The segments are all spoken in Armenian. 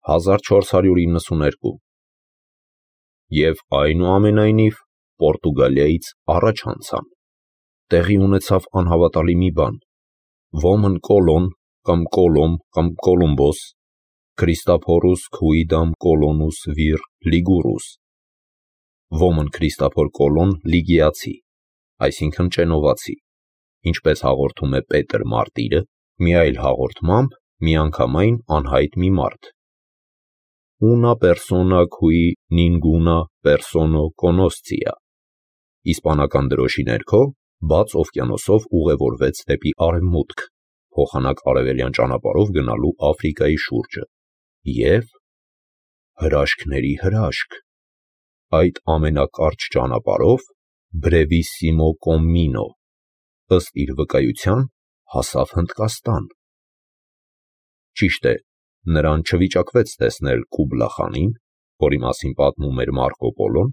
1492 Եվ այնուամենայնիվ Պորտուգալիայից առաջ անցան. տեղի ունեցավ անհավատալի մի բան. ոմն Կոլոն կամ Կոլոմ կամ Կոլումբոս, Քրիստափորուս Քուիդամ Կոլոնուս վիր Լիգուրուս, ոմն Քրիստափոր Կոլոն Լիգիացի, այսինքն ճենովացի, ինչպես հաղորդում է Պետր Մարտիրը, մի այլ հաղորդմամբ միանգամայն անհայտ մի մարդ. una persona cui ninguna persona conoscia, իսպանական դրոշի ներքո բաց օվկիանոսով ուղևորվեց դեպի արևմուտք, փոխանակ արևելյան ճանապարհով գնալու Աֆրիկայի շուրջը, և հրաշքների հրաշք, այդ ամենակարճ ճանապարհով Brevissimo Cammino, ըստ իր վկայության, հասավ Հնդկաստան։ Ճիշտ է, նրան չվիճակվեց տեսնել Կուբլա խանին, որի մասին պատմում էր Մարկո Պոլոն,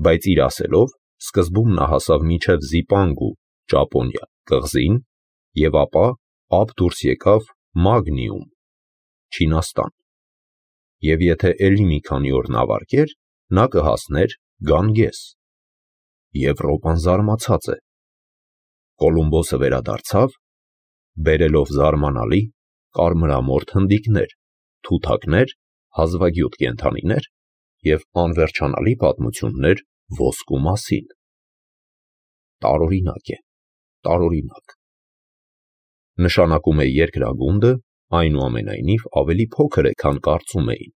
բայց իր ասելով սկզբում նա հասավ մինչև Զիպանգու, Ճապոնիա, կղզին և ապա ափ դուրս եկավ Մագնիում, Չինաստան, և եթե էլի մի քանի օր նավարկեր, նա կհասներ Գանգես։ Եվրոպան զարմացած է։ Կոլումբոսը վերադարձավ, բերելով զարմանալի կարմրամորթ հնդիկներ, թութակներ, հազվագյուտ կենդանիներ և անվերջանալի պատմություններ ոսկու մասին։ Տարօրինակ է, տարօրինակ։ Նշանակում է երկրագունդը, այնուամենայնիվ ավելի փոքր է, քան կարծում էին,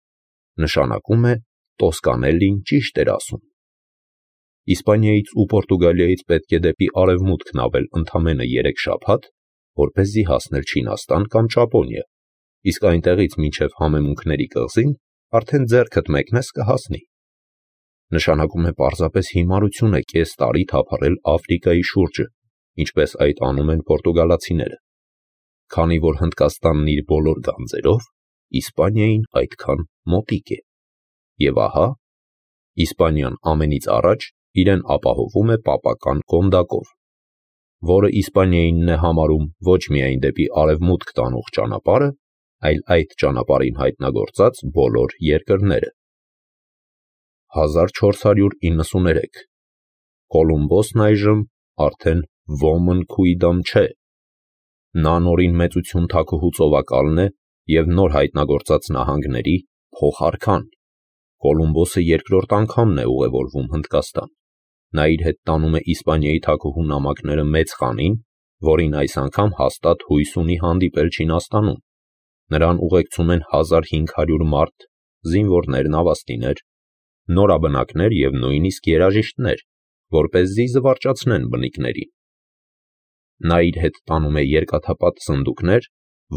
նշանակում է Տոսկանելլին ճիշտ էր ասում։ Իսպանիայից ու Պորտուգալիայից պետք է դեպի արևմուտք նավել ընդամենը 3 շաբաթ, որպեսզի հասնել Չինաստան կամ Ճապոնիա, իսկ այնտեղից մինչև Համեմունքների կղզին արդեն ձեռքդ մեկնես կհասնի։ Նշանակում է պարզապես հիմարություն է կես տարի թափառել Աֆրիկայի շուրջը, ինչպես այդ անում են պորտուգալացիները, քանի որ Հնդկաստանն իր բոլոր գանձերով Իսպանիային այդքան մոտիկ է։ Եվ ահա, Իսպանիան ամենից առաջ իրեն ապահովում է պապական կոնդակով, որը Իսպանիայինն է համարում ոչ միայն դեպի արևմուտք տանող ճանապարհը, այլ այդ ճանապարհին հայտնագործած բոլոր երկրները։ 1493 Կոլումբոսն այժմ արդեն ոմն Քուիդամ չէ։ Նա նորին մեծություն թաքուհու ծովակալն է և նոր հայտնագործած նահանգների փոխարքան։ Կոլումբոսը երկրորդ անգամն է ուղևորվում Հնդկաստան։ Նա իր հետ տանում է Իսպանիայի թագուհու նամակները Մեծ խանին, որին այս անգամ հաստատ հույս ունի հանդիպել Չինաստանում։ Նրան ուղեկցում են 1500 մարդ, զինվորներ, նավաստիներ, նորաբնակներ և նույնիսկ երաժիշտներ, որպեսզի զվարճացնեն բնիկներին։ Նա իր հետ տանում է երկաթապատ սնդուկներ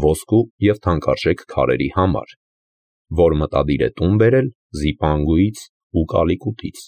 ոսկու և թանկարժեք քարերի համար, որ մտադիր է տուն բերել Զիպանգուից ու Կալիկուտից։